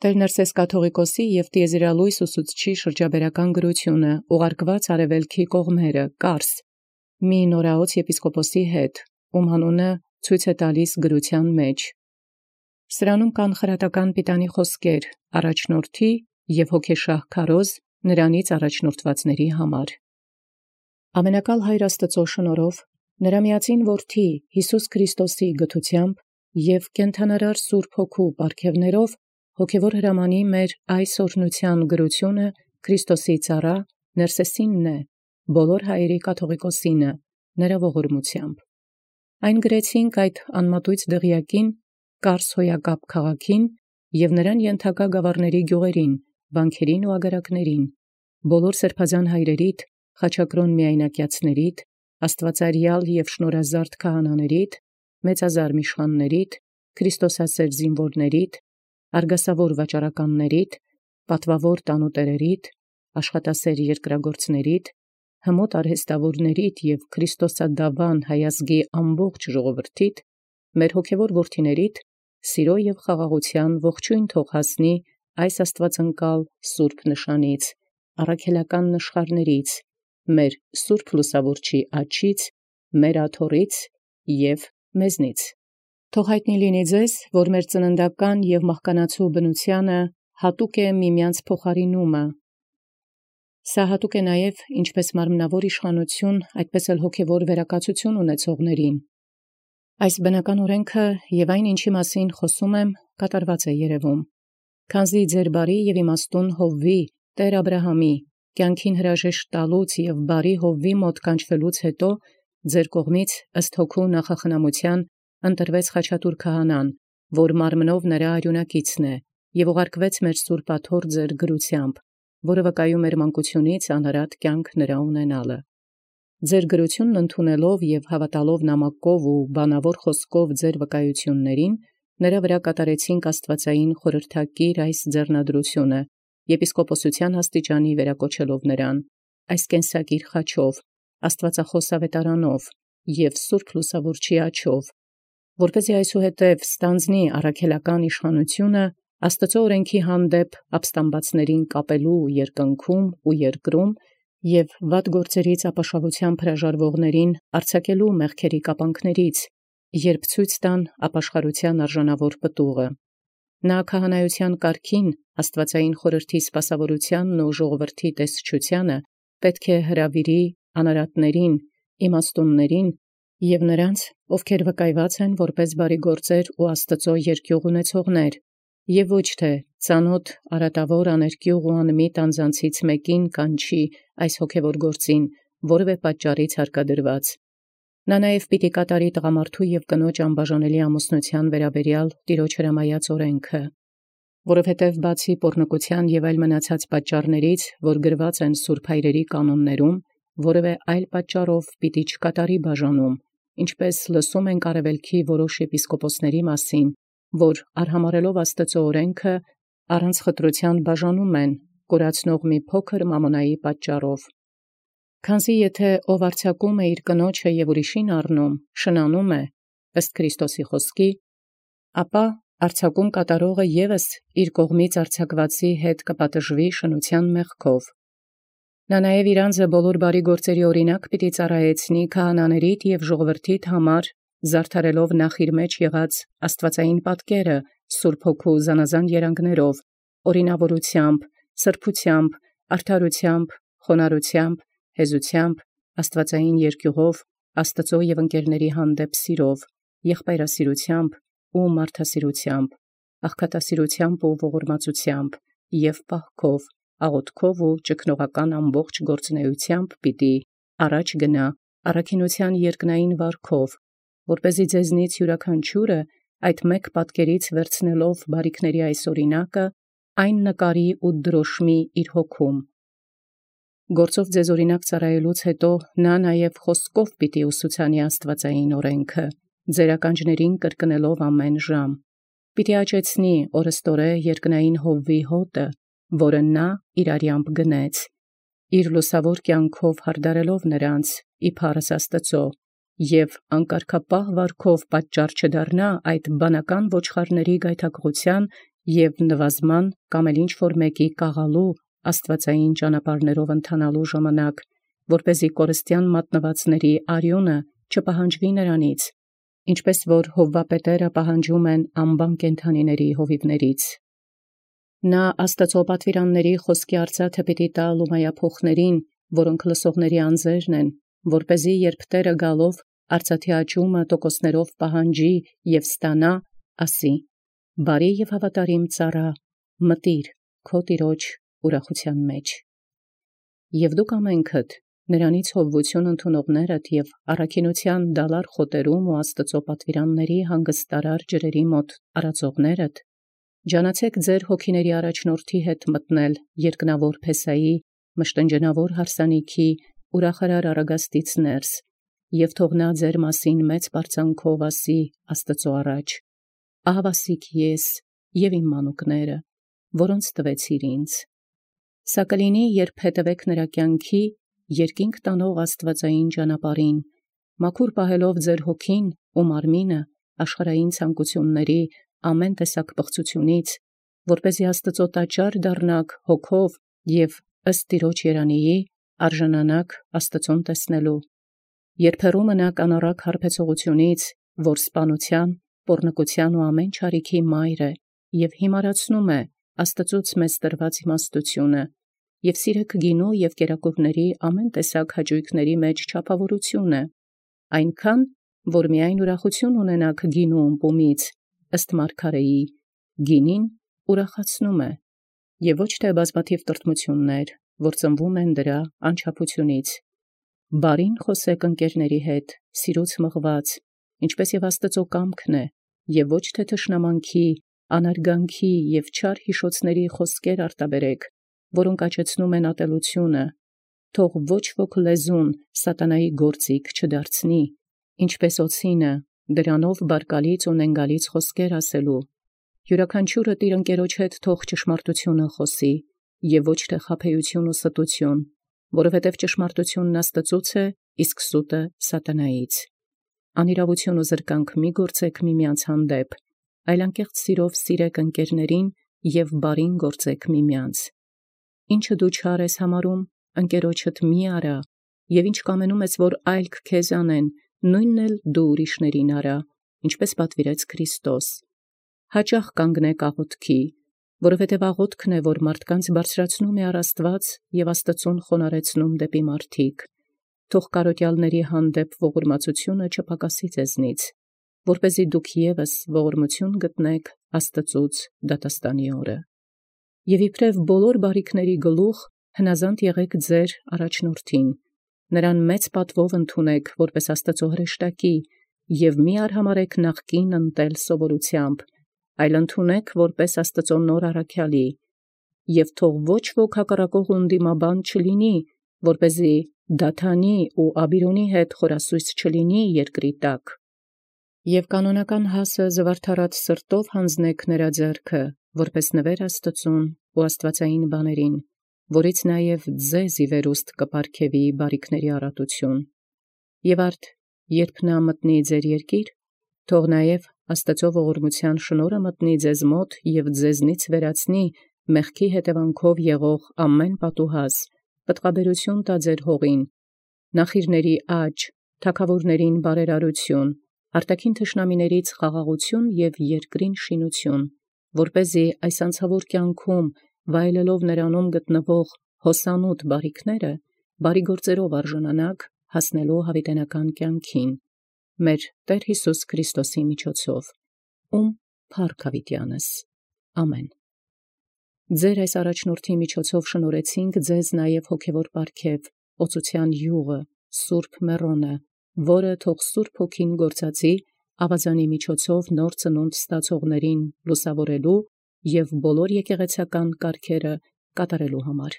Տեր Նրսես կաթողիկոսի և տիեզերալույս ուսուցչի շրջաբերական գրությունը, ուղարկված արևելքի կողմերը, Կարս, մի նորաոց եպիսկոպոսի հետ, անունը ցույց է տալիս գրության մեջ։ Սրանում կան խրատական պիտանի խոսքեր, առաջնորդի և հոգեշահ քարոզ նրանից առաջնորդվածների համար։ Ամենակալ Հայր Աստծո շնորհով, նրա միածին որդի Յիսուս Քրիստոսի գթությամբ և կենդանարար Սուրբ Հոգու պարգևներով հոգևոր հրամանի մեր այս օրհնության գրությունը Քրիստոսի ծառա Նրսեսինն է, բոլոր հայերի կաթողիկոսինը, նրա ողորմությամբ։ Այն գրեցինք այդ անմատույց դղյակին, Կարս հոյակապ քաղաքին և նրան ենթակա գավառների գյուղերին, վանքերին ու ագարակներին, բոլոր սրբազան հայրերիդ, խաչակրոն միայնակյացներիդ, աստվածարյալ և շնորհազարդ քահանաներիդ, մեծազար միշխաններիդ, Քրիստոսասեր զինվորներիդ, արգասավոր վաճառականներիդ, պատվավոր տանուտերերիդ, աշխատասեր երկրագործներիդ, հմոտ արհեստավորներիդ և Քրիստոսադավան հայազգի ամբողջ ժողովրդիդ, մեր հոգևոր որդիներիդ, սիրո և խաղաղության ողջույն թող հասնի այս աստվածընկալ սուրբ նշանից, առաքելական նշխարներից, մեր սուրբ լուսավորչի աջից, մեր աթոռից և մեզնից։ Թող հայտնի լինի ձեզ, որ մեր ծննդական և մահկանացու բնութեանը հատուկ է միմյանց փոխարինումը։ Սա հատուկ է նաև ինչպես մարմնավոր իշխանություն, այդպես էլ հոգևոր վերակացություն ունեցողներին։ Այս բնական օրենքը և այն, ինչի մասին խոսում եմ, կատարված է երևում։ Քանզի ձեր բարի և իմաստուն Հովվի, Տեր Աբրահամի, կյանքին հրաժեշտ տալուց և բարի Հովվի մոտ կանչվելուց հետո, ձեր կողմից ըստ հոգու նախախնամության ընտրվեց Խաչատուր քահանան, որ մարմնով նրա արյունակիցն է, և ուղարկվեց մեր սուրբ աթոռ ձեր գրությամբ, որը վկայում էր մանկությունից անհրատ կյանք նրա ունենալը։ Ձեր գրությունն ընդունելով և հավատալով նամակով ու բանավոր խոսքով ձեր վկայություններին, նրա վրա կատարեցինք աստվածային խորհրդակիր այս ձեռնադրությունը, եպիսկոպոսության աստիճանի վերակոչելով նրան, այս կենսակիր խաչով, աստվածախոս ավետարանով և սուրբ լուսավորչի աջով, որպեսզի այսուհետև ստանձնի առաքելական իշխանությունը Աստծո օրենքի հանդեպ ապստամբացներին կապելու երկնքում ու երկրում և վատ գործերից ապաշավությամբ հրաժարվողներին արձակելու մեղքերի կապանքներից, երբ ցույց տան ապաշխարության արժանավոր պտուղը։ Նա քահանայության կարգին, աստվածային խորհրդի սպասավորությանն ու ժողովրդի տեսչությանը պետք է հրավիրի անարատներին, իմաստուններին և նրանց, ովքեր վկայված են որպես բարի գործեր ու Աստծո երկյուղ ունեցողներ, և ոչ թե ծանոթ արատավոր աներկյուղ ու անմիտ անձանցից մեկին կանչի այս հոգևոր գործին, որևէ պատճառից հարկադրված։ Նա նաև պիտի կատարի տղամարդու և կնոջ անբաժանելի ամուսնության վերաբերյալ Տիրոջ հրամայած օրենքը, որովհետև բացի պոռնկության և այլ մնացած պատճառներից, որ գրված են սուրբ հայրերի կանոններում, որևէ այլ պատճառով պիտի չկատարի բաժանում, ինչպես լսում ենք արևելքի որոշ եպիսկոպոսների մասին, որ արհամարհելով Աստծո օրենքը, առանց խտրության բաժանում են, կորացնող մի փոքր մամոնայի պատճառով։ Քանզի եթե ով արձակում է իր կնոջը և ուրիշին առնում, շնանում է, ըստ Քրիստոսի խոսքի, ապա արձակում կատարողը ևս իր կողմից արձակվածի հետ կպատժվի շնության մեղքով։ Նա նաև իր անձը բոլոր բարի գործերի օրինակ պիտի ծառայեցնի քահանաներիդ և ժողովրդիդ համար, զարդարելով նախ իր մեջ եղած աստվածային պատկերը Սուրբ Հոգու զանազան երանգներով, օրինավորությամբ, սրբությամբ, արդարությամբ, խոնարհությամբ, հեզությամբ, աստվածային երկյուղով, Աստծո և ընկերների հանդեպ սիրով, եղբայրասիրությամբ ու մարդասիրությամբ, աղքատասիրությամբ ու ողորմածությամբ և պահքով, աղոթքով ու ճգնողական ամբողջ գործունեությամբ պիտի առաջ գնա առաքինության երկնային վարքով, որպեսզի ձեզնից յուրաքանչյուրը այդ մեկ պատկերից վերցնելով բարիքների այս օրինակը, այն նկարի ու դրոշմի իր հոգում։ Գործով ձեզ օրինակ ծառայելուց հետո նա նաև խոսքով պիտի ուսուցանի աստվածային օրենքը, ձեր ականջներին կրկնելով ամեն ժամ։ Պիտի աճեցնի օրըստորե երկնային Հովվի հոտը, որը նա իր արյամբ գնեց, իր լուսավոր կյանքով հարդարելով նրանց, իբարս Աստծո, և անկարգապահ վարքով պատճառ չդառնա այդ բանական ոչխարների գայթակղության եւ նվազման կամ էլ ինչ որ մեկի կաղալու աստվածային ճանապարհներով ընթանալու ժամանակ, որպեսզի կորստյան մատնվածների արյունը չպահանջվի նրանից, ինչպես որ հովվապետերը պահանջում են անբան կենդանիների հովիվներից։ Նա Աստծո պատվիրանների խոսքի արծաթը պիտի տա լումայափոխներին, որոնք լսողների անձերն են, որպեսզի երբ Տերը գալով արծաթի աճումը տոկոսներով պահանջի եւ ստանա, ասի. բարի եւ հավատարիմ ծառա, մտիր քո տիրոջ ուրախության մեջ։ Եվ դուք ամենքդ նրանից հովվություն ընդունողներդ եւ առաքինության դալար խոտերում ու Աստծո պատվիրանների հանգստարար ջրերի մոտ արածողներդ, ջանացեք ձեր հոգիների առաջնորդի հետ մտնել երկնավոր Փեսայի մշտնջենավոր հարսանիքի ուրախարար առագաստից ներս, եւ թող նա ձեր մասին մեծ բարձանքով ասի Աստծո առաջ. ահավասիկ ես եւ իմ մանուկները, որոնց տվեցիր ինձ։ Սա կլինի, երբ հետևեք նրա կյանքի երկինք տանող աստվածային ճանապարհին, մաքուր պահելով ձեր հոգին ու մարմինը աշխարհային ցանկությունների ամեն տեսակ բղծությունից, որպեսզի Աստծո տաճար դառնաք հոգով եւ ըստ Տիրոջ երանիի արժանանաք Աստծուն տեսնելու, երբ հեռու մնաք անառակ հարբեցողությունից, որ սպանության, պոռնկության ու ամեն չարիքի մայր է եւ հիմարացնում է Աստծուց մեզ տրված իմաստությունը, եւ սիրեք գինու եւ կերակուրների ամեն տեսակ հաճույքների մեջ չափավորությունը, այնքան, որ միայն ուրախություն ունենաք գինու ըմպումից, ըստ մարգարեի, գինին ուրախացնում է, եւ ոչ թե բազմաթիվ տրտմություններ, որ ծնվում են դրա անչափությունից։ Բարին խոսեք ընկերների հետ, սիրուց մղված, ինչպես եւ Աստծո կամքն է, եւ ոչ թե թշնամանքի, անարգանքի եւ չար հիշոցների խոսքեր արտաբերեք, որոնք աճեցնում են ատելությունը, թող ոչ ոք լեզուն սատանայի գործիք չդարձնի, ինչպես օծինը, դրանով բարկալից ու նենգալից խոսքեր ասելու, յուրաքանչյուրը իր ընկերոջ հետ թող ճշմարտությունը խոսի, եւ ոչ թե խաբեություն ու ստություն, որովհետև ճշմարտությունն Աստծուց է, իսկ սուտը սատանայից։ Անիրավություն ու զրկանք մի գործեք միմյանց հանդեպ, այլ անկեղծ սիրով սիրեք ընկերներին եւ բարին գործեք միմյանց։ Ինչը դու չար ես համարում, ընկերոջդ մի արա, եւ ինչ կամենում ես, որ այլք քեզ անեն, նույնն էլ դու ուրիշներին արա, ինչպես պատվիրեց Քրիստոս։ Հաճախ կանգնեք աղոթքի, որովհետև աղոթքն է, որ մարդկանց բարձրացնում է առ Աստված եւ Աստծուն խոնարեցնում դեպի մարդիկ։ Թող կարոտյալների հանդեպ ողորմածությունը չփակասի ձեզնից, որպեսզի դուք եւս ողորմություն գտնեք Աստծուց դատաստանի օրը։ Եվ իբրև բոլոր բարիքների գլուխ հնազանդ եղեք ձեր առաջնորդին, նրան մեծ պատվով ընդունեք որպես Աստծո հրեշտակի եւ մի արհամարեք նախկին ընտել սովորությամբ, այլ ընդունեք որպես Աստծո նոր առաքյալի, եւ թող ոչ ոք հակառակող ընդդիմաբան չլինի, որպեսզի Դաթանի ու Աբիրոնի հետ խորասույս չլինի երկրի տակ։ Եվ կանոնական հասը զվարթարած սրտով հանձնեք նրա ձեռքը, որպես նվեր Աստծուն ու աստվածային բաներին, որից նաև ձեզ ի վերուստ կպարգևի բարիքների առատություն։ Եվ արդ, երբ նա մտնի ձեր երկիր, թող նաև Աստծո ողորմության շնորհը մտնի ձեզ մոտ եւ ձեզնից վերացնի մեղքի հետևանքով եղող ամեն պատուհաս, պտղաբերություն տա ձեր հողին, նախիրների աճ, թագավորներին բարերարություն, արտաքին թշնամիներից խաղաղություն եւ երկրին շինություն, որպեսզի այս անցավոր կյանքում վայելելով նրանում գտնվող հոսանոտ բարիքները, բարի գործերով արժանանաք հասնելու հավիտենական կյանքին, մեր Տեր Հիսուս Քրիստոսի միջոցով, ում փառք հավիտյանս։ Ամեն։ Ձեր այս առաջնորդի միջոցով շնորհեցինք ձեզ նաև հոգևոր պարգև, օծության յուղը, Սուրբ Մեռոնը, որը թող Սուրբ Հոգին գործածի ավազանի միջոցով նոր ծնունդ ստացողներին լուսավորելու եւ բոլոր եկեղեցական կարգերը կատարելու համար։